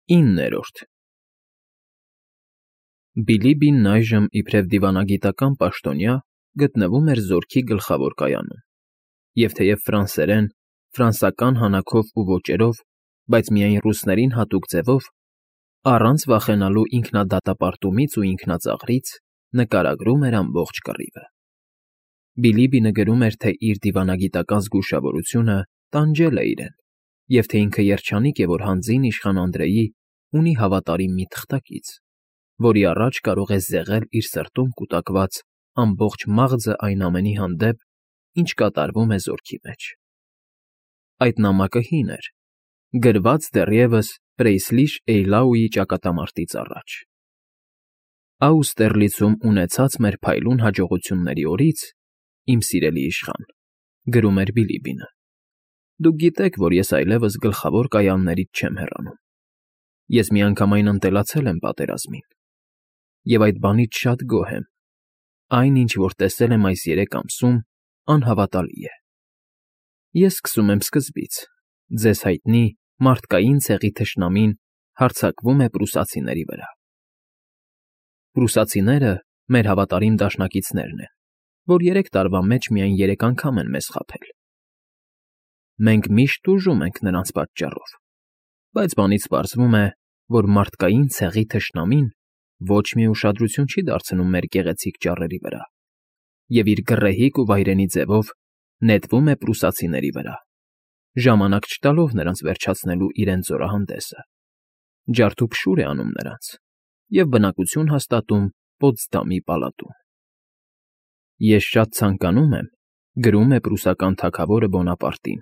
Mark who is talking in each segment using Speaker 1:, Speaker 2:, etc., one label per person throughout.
Speaker 1: 9-րդ Բիլիբին այժմ իբրև դիվանագիտական պաշտոնյա գտնվում էր զորքի գլխավոր կայանում, և թեև ֆրանսերեն, ֆրանսական հանաքով ու ոճերով, բայց միայն ռուսներին հատուկ ձևով, առանց վախենալու ինքնադատապարտումից ու ինքնածաղրից նկարագրում էր ամբողջ կռիվը։ Բիլիբինը գրում էր, թե իր դիվանագիտական զգուշավորությունը տանջել է իրեն, և թե ինքը երջանիկ է, որ հանձին իշխան Անդրեի ունի հավատարիմ մի թղթակից, որի առաջ կարող է զեղել իր սրտում կուտակված ամբողջ մաղձը այն ամենի հանդեպ, ինչ կատարվում է զորքի մեջ։ Այդ նամակը հին էր, գրված դեռևս Պրեյսլիշ-Էյլաուի ճակատամարտից առաջ։ Աուստերլիցում ունեցած մեր փայլուն հաջողությունների օրից, իմ սիրելի իշխան, գրում էր Բիլիբինը, դուք գիտեք, որ ես այլևս գլխավոր կայաններից չեմ հեռանում։ Ես միանգամայն ընտելացել եմ պատերազմին, և այդ բանից շատ գոհ եմ։ Այն, ինչ որ տեսել եմ այս 3 ամսում, անհավատալի է։ Ես սկսում եմ սկզբից, ձեզ հայտնի մարդկային ցեղի թշնամին հարձակվում է պրուսացիների վրա։ Պրուսացիները մեր հավատարիմ դաշնակիցներն են, որ 3 տարվա մեջ միայն 3 անգամ են մեզ խաբել։ Մենք միշտ տուժում ենք նրանց պատճառով, բայց բանից պարզվում է, որ մարդկային ցեղի թշնամին ոչ մի ուշադրություն չի դարձնում մեր գեղեցիկ ճառերի վրա, և իր գռեհիկ ու վայրենի ձևով նետվում է պրուսացիների վրա, ժամանակ չտալով նրանց վերջացնելու իրենց զորահանդեսը, ջարդուփշուր է անում նրանց և բնակություն հաստատում Պոտսդամի պալատում։ Ես շատ ցանկանում եմ, գրում է պրուսական թագավորը Բոնապարտին,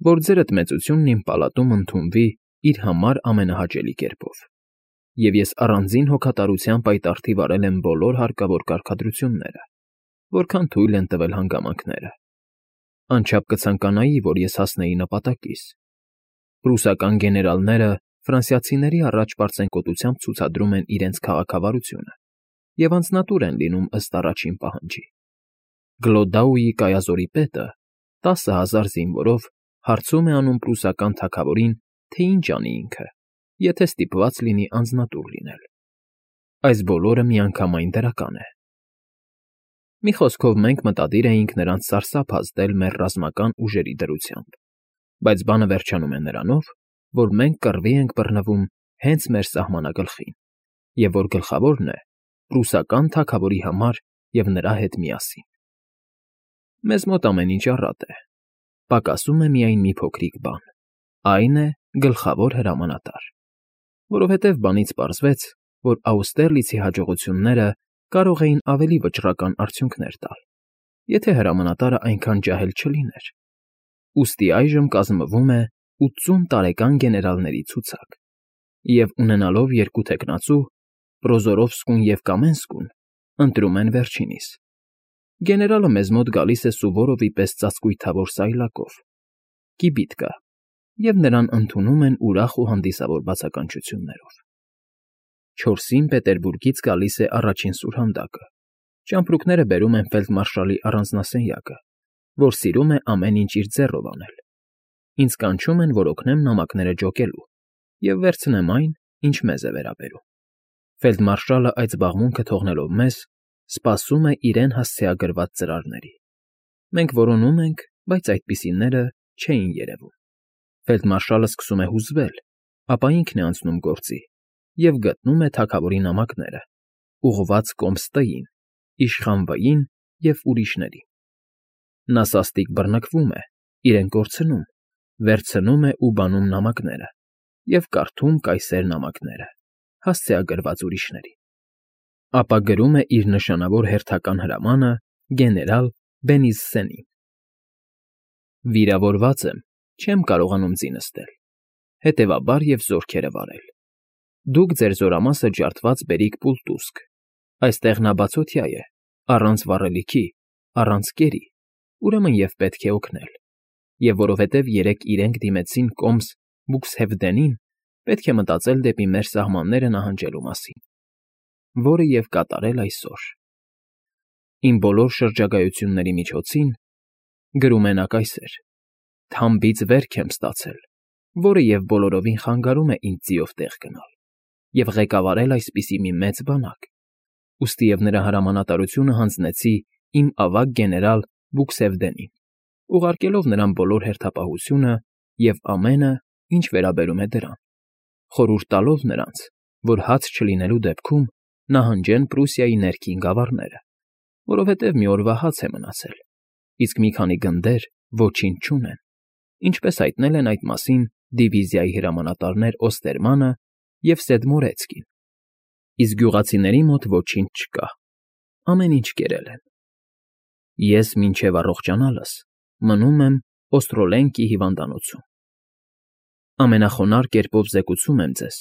Speaker 1: որ ձերդ մեծությունն իմ պալատում ընդունվի իր համար ամենահաճելի կերպով, և ես առանձին հոգատարության պայտառթիվ վարել եմ բոլոր հարկավոր կարգադրությունները, որքան թույլ են տվել հանգամանքները։ Անչափ կցանկանայի, որ ես հասնեի նպատակիս։ Պրուսական գեներալները ֆրանսիացիների առաջ պարծենկոտությամբ ցուցադրում են իրենց քաղաքավարությունը և անձնատուր են լինում ըստ առաջին պահանջի։ Գլոդաուի կայազորի պետը 10,000 զինվորով հարցում է անում պրուսական թագավորին, թե ինչ անի ինքը, եթե ստիպված լինի անձնատուր լինել։ Այս բոլորը միանգամայն դրական է։ Մի խոսքով, մենք մտադիր էինք նրանց սարսափ ազդել մեր ռազմական ուժերի դրությամբ, բայց բանը վերջանում է նրանով, որ մենք կռվի ենք բռնվում հենց մեր սահմանագլխին, և որ գլխավորն է պրուսական թագավորի համար և նրա հետ միասին։ Մեզ մոտ ամեն ինչ առատ է, պակասում է միայն մի փոքրիկ բան, այն է գլխավոր հրամանատար, որովհետև բանից պարզվեց, որ Աուստերլիցի հաջողությունները կարող էին ավելի վճռական արդյունքներ տալ, եթե հրամանատարը այնքան ջահել չլիներ։ Ուստի այժմ կազմվում է 80 տարեկան գեներալների ցուցակ, և ունենալով 2 թեկնածու՝ Պրոզորովսկուն և Կամենսկուն, ընտրում են վերջինիս։ Գեներալը մեզ մոտ գալիս է Սուվորովի պես ծածկույթավոր սայլակով, կիբիթկա, և նրան ընդունում են ուրախ ու հանդիսավոր բացականչություններով։ 4-ին Պետերբուրգից գալիս է առաջին սուրհանդակը, ճամպրուկները բերում են ֆելդմարշալի առանձնասենյակը, որ սիրում է ամեն ինչ իր ձեռով անել։ Ինձ կանչում են, որ օգնեմ նամակները ջոկելու և վերցնեմ այն, ինչ մեզ է վերաբերում։ Ֆելդմարշալը այդ զբաղմունքը թողնելով մեզ, սպասում է իրեն հասցեագրված ծրարների։ Մենք որոնում ենք, բայց այդպիսիները չէին երևում։ Ֆելդմարշալը սկսում է հուզվել, ապա ինքն է անցնում գործի և գտնում է թագավորի նամակները, ուղղված կոմս Տ-ին, իշխան Վ-ին և ուրիշներին։ Նա սաստիկ բռնկվում է, իրեն կորցնում, վերցնում է ու բանում նամակները և կարդում կայսեր նամակները, հասցեագրված ուրիշներին։ Ապա գրում է իր նշանավոր հերթական հրամանը գեներալ Բենիզսենին. Վիրավորված եմ, չեմ կարողանում ձի նստել, հետևաբար և զորքերը վարել։ Դուք ձեր զորամասը ջարդված բերիք Պուլտուսկ, այստեղ նա բացօթյա է, առանց վառելիքի, առանց կերի, ուրեմն և պետք է օգնել, և որովհետև երեկ իրենք դիմեցին կոմս Բուքսհեվդենին, պետք է մտածել դեպի մեր սահմանները նահանջելու մասին, որը և կատարել այսօր։ Իմ բոլոր շրջագայությունների միջոցին, գրում է նա կայսեր, թամբից վերք եմ ստացել, որը և բոլորովին խանգարում է ինձ ձիով տեղ գնալ և ղեկավարել այսպիսի մի մեծ բանակ, ուստիև նրա հրամանատարությունը հանձնեցի իմ ավագ գեներալ Բուքսևդենին, ուղարկելով նրան բոլոր հերթապահությունը և ամենը, ինչ վերաբերում է դրան, խորհուրդ տալով նրանց, որ հաց չլինելու դեպքում նահանջեն Պրուսիայի ներքին գավառները, որովհետև մի օրվա հաց է մնացել, իսկ մի քանի գնդեր ոչինչ չունեն, ինչպես հայտնել են այդ մասին դիվիզիայի հրամանատարներ Օստերմանը և Սեդմորեցկին, իսկ գյուղացիների մոտ ոչինչ չկա, ամեն ինչ կերել են։ Ես մինչև առողջանալս մնում եմ Օստրոլենկի հիվանդանոցում։ Ամենախոնարհ կերպով զեկուցում եմ ձեզ,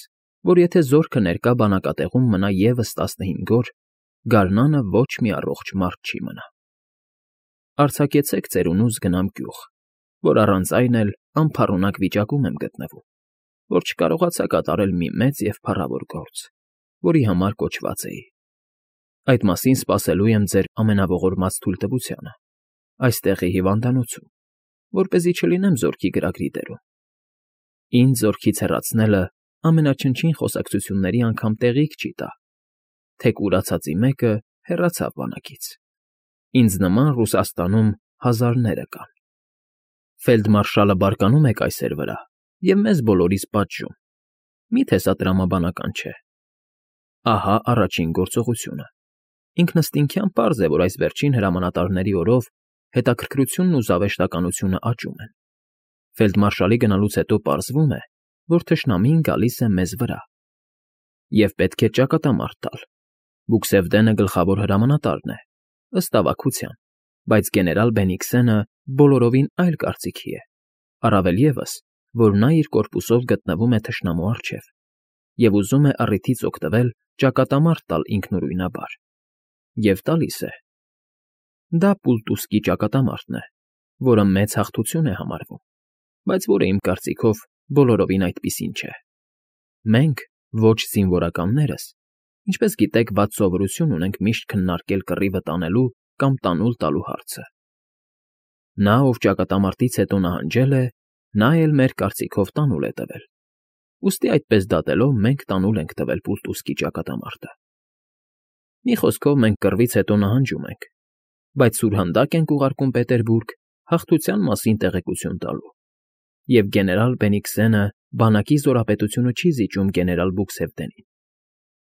Speaker 1: որ եթե զորքը ներկա բանակատեղում մնա ևս 15 օր, գարնանը ոչ մի առողջ մարդ չի մնա։ Արձակեցեք ծերունուս գնամ գյուղ, որ առանց այն էլ անփառունակ վիճակում եմ գտնվում, որ չկարողացա կատարել մի մեծ և փառավոր գործ, որի համար կոչված էի։ Այդ մասին սպասելու եմ ձեր ամենաողորմած թույլտվությանը, այստեղի հիվանդանոցում, որպեսզի չլինեմ զորքի գրագրի դերում։ Ինձ զորքից հեռացնելը ամենաչնչին խոսակցությունների անգամ տեղիք չի տա, թե կուրացածի մեկը հեռացավ բանակից։ Ինձ նման Ռուսաստանում հազարները կան։ Ֆելդմարշալը բարկանում է կայսեր վրա և մեզ բոլորիս պատժում։ Մի՞թե սա տրամաբանական չէ։ Ահա առաջին գործողությունը։ Ինքնըստինքյան պարզ է, որ այս վերջին հրամանատարների օրով հետաքրքրությունն ու զավեշտականությունը աճում են։ Ֆելդմարշալի գնալուց հետո պարզվում է, որ թշնամին գալիս է մեզ վրա։ Եվ պետք է ճակատամարտ տալ։ Բուքսևդենը գլխավոր հրամանատարն է, ըստ ավագության, բայց գեներալ Բենիքսենը բոլորովին այլ կարծիքի է, առավել ևս, որ նա իր կորպուսով գտնվում է թշնամու առջև և ուզում է առիթից օգտվել ճակատամարտ տալ ինքնուրույնաբար։ Եվ տալիս է։ Դա Պուլտուսկի ճակատամարտն է, որը մեծ հաղթություն է համարվում, բայց որը իմ կարծիքով բոլորովին այդպիսին չէ։ Մենք, ոչ զինվորականներս, ինչպես գիտեք, վատ սովորություն ունենք միշտ քննարկել կռիվը տանելու կամ տանուլ տալու հարցը։ Նա, ով ճակատամարտից հետո նահանջել է, նա էլ մեր կարծիքով տանուլ է տվել։ Ուստի այդպես դատելով մենք տանուլ ենք տվել Պուլտուսկի ճակատամարտը։ Մի խոսքով մենք կռվից հետո նահանջում ենք, բայց սուրհանդակ ենք ուղարկում Պետերբուրգ հաղթության մասին տեղեկություն տալու։ Եվ գեներալ Բենիքսենը բանակի զորապետությունը չի զիջում գեներալ Բուքսևդենին,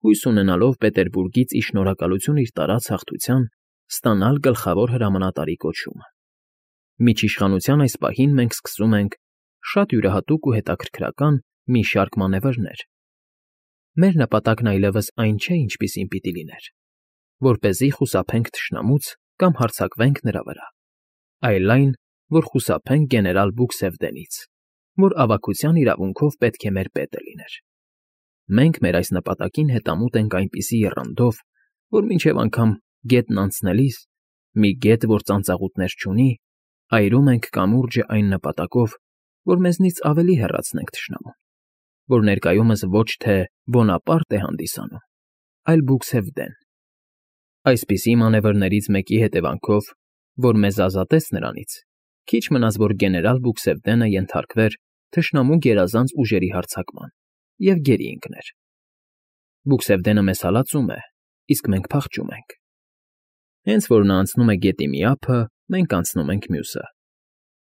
Speaker 1: հույս ունենալով Պետերբուրգից ի շնորհակալություն իր տարած հաղթության ստանալ գլխավոր հրամանատարի կոչումը։ Միջիշխանության այս պահին մենք սկսում ենք շատ յուրահատուկ ու հետաքրքրական մի շարք մանևրներ։ Մեր նպատակն այլևս այն չէ, ինչպիսին պիտի լիներ, որպեսզի խուսափենք թշնամուց կամ հարձակվենք նրա վրա, այլ այն, որ խուսափենք գեներալ Բուքսևդենից, որ ավագության իրավունքով պետք է մեր պետը լիներ։ Մենք մեր այս նպատակին հետամուտ ենք այնպիսի եռանդով, որ մինչև անգամ գետն անցնելիս, մի գետ, որ ծանծաղուտներ չունի, այրում ենք կամուրջը այն նպատակով, որ մեզնից ավելի հեռացնենք թշնամուն, որ ներկայումս ոչ թե Բոնապարտ է հանդիսանում, այլ Բուքսևդեն։ Այսպիսի մանևրներից մեկի հետևանքով, որ մեզ ազատեց նրանից, քիչ մնաց, որ գեներալ Բուքսևդենը ենթարկվեր թշնամու գերազանց ուժերի հարձակման և գերի ընկներ։ Բուքսևդենը մեզ հալածում է, իսկ մենք փախչում ենք։ Հենց որ նա անցնում է գետի մի ափը, մենք անցնում ենք մյուսը։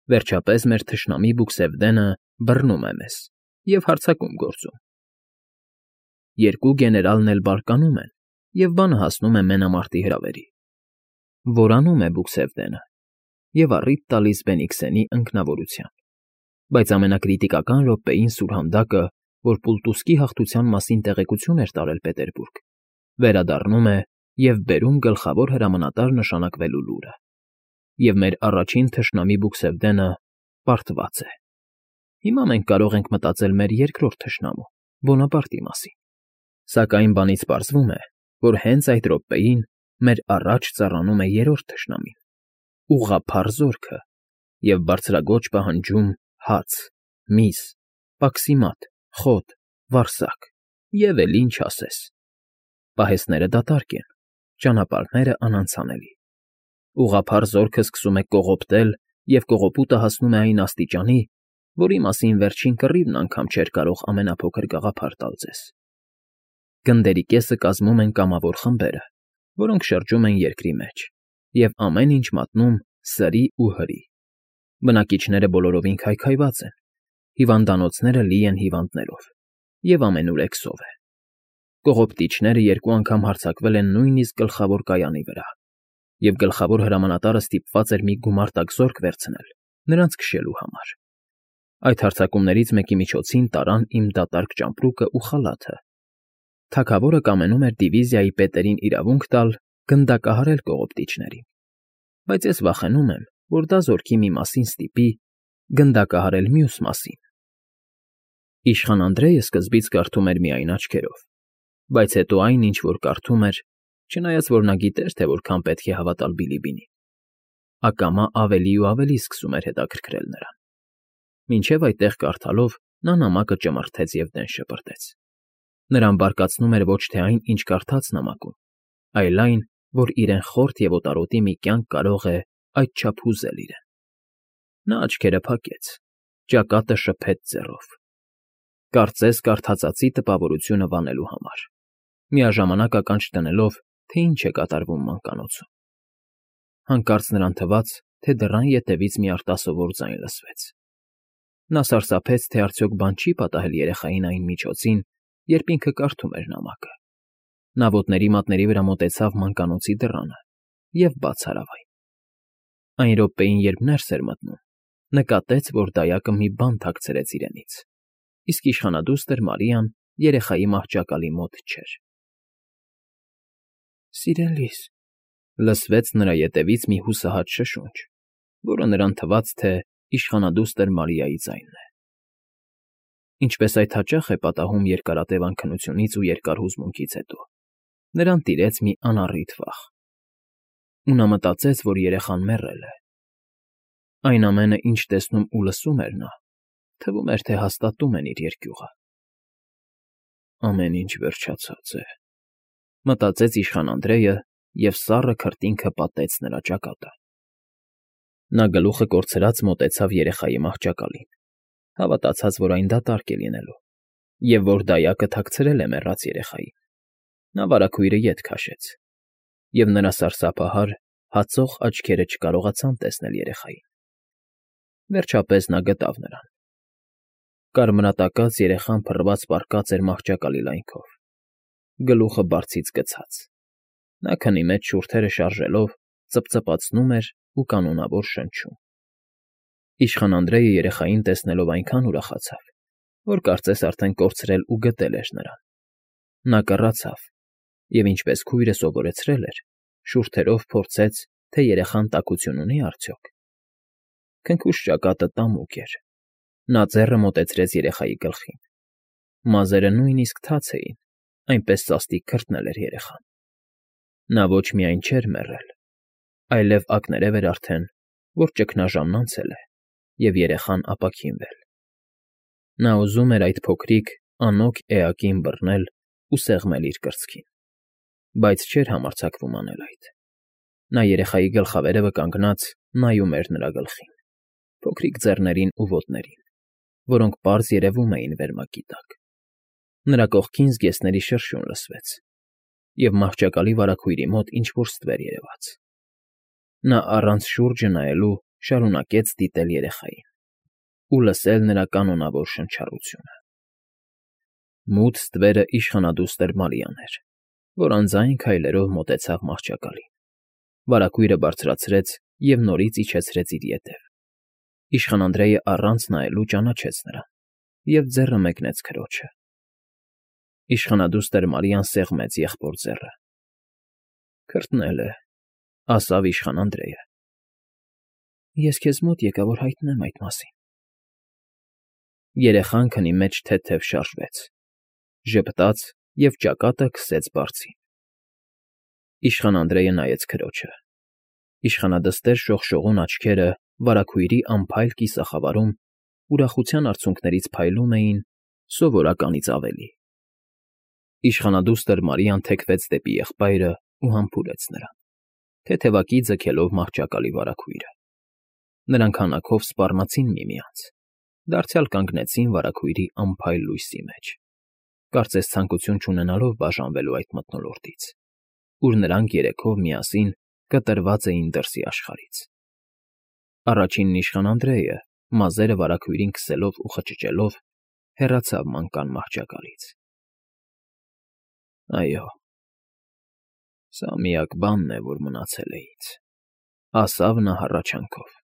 Speaker 1: Վերջապես մեր թշնամի Բուքսևդենը բռնում է մեզ և հարձակում գործում։ Երկու գեներալն էլ բարկանում են, և բանը հասնում է մենամարտի հրավերի։ Որանում է Բուքսևդենը և առիթ տալիս Բենիքսենի ընկնավորության։ Բայց ամենակրիտիկական րոպեին սուրհանդակը, որ Պուլտուսկի հաղթության մասին տեղեկություն էր տարել Պետերբուրգ, վերադառնում է և բերում գլխավոր հրամանատար նշանակվելու լուրը։ Եվ մեր առաջին թշնամի Բուքսևդենը պարտված է։ Հիմա մենք կարող ենք մտածել մեր երկրորդ թշնամու՝ Բոնապարտի մասին։ Սակայն բանից պարզվում է, որ հենց այդ րոպեին մեր առաջ ծառանում է երրորդ թշնամին՝ ուղղափառ զորքը, և բարձրաձոչ պահանջում հաց, միս, պաքսիմատ, խոտ, վարսակ և էլ ինչ ասես։ Պահեստները դատարկ են, ճանապարհները անանցանելի։ Ուղղափառ զորքը սկսում է կողոպտել, և կողոպուտը հասնում է այն աստիճանի, որի մասին վերջին կռիվն անգամ չէր կարող ամենափոքր գաղափար տալ ձեզ։ Գնդերի կեսը կազմում են կամավոր խմբերը, որոնք շրջում են երկրի մեջ, և ամեն ինչ մատնում սրի ու հրի։ Բնակիչները բոլորովին քայքայված են, հիվանդանոցները լի են հիվանդներով, և ամենուրեք սով է։ Կողոպտիչները երկու անգամ հարձակվել են նույնիսկ գլխավոր կայանի վրա, և գլխավոր հրամանատարը ստիպված էր մի գումարտակ զորք վերցնել նրանց քշելու համար։ Այդ հարձակումներից մեկի միջոցին տարան իմ դատարկ ճամպրուկը ու խալաթը։ Թագավորը կամենում էր դիվիզիայի պետերին իրավունք տալ գնդակահարել կողոպտիչներին, բայց ես վախենում եմ, որ դա զորքի մի մասին ստիպի գնդակահարել մյուս մասին։ Իշխան Անդրեյը սկզբից կարդում էր միայն աչքերով, բայց հետո այն, ինչ որ կարդում էր, չնայած որ նա գիտեր, թե որքան պետք է հավատալ Բիլիբինին, ակամա ավելի ու ավելի սկսում էր հետաքրքրել նրան։ Մինչև այդտեղ կարդալով նա նամակը ճմրթեց և դեն շպրտեց։ Նրան բարկացնում էր ոչ թե այն, ինչ կարդաց նամակում, այլ այն, որ իրեն խորթ և օտարոտի մի կյանք կարող է այդչափ հուզել իրեն։ Նա աչքերը փակեց, ճակատը շփեց ձեռով, կարծես կարդացածի տպավորությունը վանելու համար, միաժամանակ ականջ դնելով, թե ինչ է կատարվում մանկանոցում։ Հանկարծ նրան թվաց, թե դռան ետևից մի արտասովոր ձայն լսվեց։ Նա սարսափեց, թե արդյոք բան չի պատահել երեխային այն միջոցին, երբ ինքը կարդում էր նամակը։ Նա ոտների մատների վրա մոտեցավ մանկանոցի դռանը և բաց արավ այն։ Այն րոպեին, երբ ներս էր մտնում, նկատեց, որ դայակը մի բան թաքցրեց իրենից, իսկ իշխանադուստր Մարիան երեխայի մահճակալի մոտ չէր։ «Սիրելիս», լսվեց նրա ետևից մի հուսահատ շշունչ, որը նրան թվաց, թե իշխանադուստր Մարիայի ձայնն է։ Ինչպես այդ հաճախ է պատահում երկարատև անքնությունից ու երկար հուզմունքից հետո, նրան տիրեց մի անառիթ վախ, ու նա մտածեց, որ երեխան մեռել է։ Այն ամենը, ինչ տեսնում ու լսում էր նա, թվում էր, թե հաստատում են իր երկյուղը։ Ամեն ինչ վերջացած է, մտածեց իշխան Անդրեյը, և սառը քրտինքը պատեց նրա ճակատը։ Նա գլուխը կորցրած մոտեցավ երեխայի մահճակալին, հավատացած, որ այն դատարկ է լինելու, և որ դայակը թաքցրել է մեռած երեխային։ Նա վարագույրը ետ քաշեց, և նրա սարսափահար, հացող աչքերը չկարողացան տեսնել երեխային։ Վերջապես նա գտավ նրան։ Կարմրատակած երեխան փռված պառկած էր մահճակալի լայնքով, գլուխը բարձից գցած։ Նա քնի մեջ շուրթերը շարժելով ծպծպացնում էր ու կանոնավոր շնչում։ Իշխան Անդրեյը երեխային տեսնելով այնքան ուրախացավ, որ կարծես արդեն կորցրել ու գտել էր նրան։ Նա կռացավ և, ինչպես քույրը սովորեցրել էր, շուրթերով փորձեց, թե երեխան տաքություն ունի՞ արդյոք։ Քնքուշ ճակատը տամուկ էր։ Նա ձեռը մոտեցրեց երեխայի գլխին։ Մազերը նույնիսկ թաց էին, այնպես սաստիկ քրտնել էր երեխան։ Նա ոչ միայն չէր մեռել, այլև ակներև էր արդեն, որ ճգնաժամն անցել է, և երեխան ապաքինվել։ Նա ուզում էր այդ փոքրիկ, անոք էակին բռնել ու սեղմել իր կրծքին, բայց չէր համարձակվում անել այդ։ Նա երեխայի գլխավերևը կանգնած նայում էր նրա գլխին, փոքրիկ ձեռներին ու ոտներին, որոնք պարզ երևում էին վերմակի տակ։ Նրա կողքին զգեստների շրշյուն լսվեց, և մահճակալի վարագույրի մոտ ինչ֊որ ստվեր երևաց։ Նա առանց շուրջը նայելու շարունակեց դիտել երեխային ու լսել նրա կանոնավոր շնչառությունը։ Մութ ստվերը իշխանադուստր Մարիան էր, որ անձայն քայլերով մոտեցավ մահճակալին, վարագույրը բարձրացրեց և նորից իջեցրեց իր ետև։ Իշխան Անդրեյը առանց նայելու ճանաչեց նրան և ձեռը մեկնեց քրոջը։ Իշխանադուստր Մարիան սեղմեց եղբոր ձեռը։ Քրտնել է, ասավ իշխան Անդրեյը։ Ես քեզ մոտ եկա, որ հայտնեմ այդ մասին։ Երեխան քնի մեջ թեթև շարժվեց, ժպտաց և ճակատը քսեց բարձին։ Իշխան Անդրեյը նայեց քրոջը։ Իշխանադստեր շողշողուն աչքերը վարագույրի անփայլ կիսախավարում ուրախության արցունքներից փայլում էին սովորականից ավելի։ Իշխանադուստր Մարիան թեքվեց դեպի եղբայրը ու համբուրեց նրան, թեթևակի ձգելով մահճակալի վարագույրը։ Նրանք հանակով սպառնացին միմյանց, Դարձյալ կանգնեցին վարագույրի անփայլ լույսի մեջ, կարծես ցանկություն չունենալով բաժանվելու այդ մթնոլորտից, ուր նրանք երեքով միասին կտրված էին դրսի աշխարհից։ Առաջինն իշխան Անդրեյը, մազերը վարագույրին քսելով ու խճճելով, հեռացավ մանկան մահճակալից։ Այո, սա միակ բանն է, որ մնացել է ինձ, ասավ նա հառաչանքով։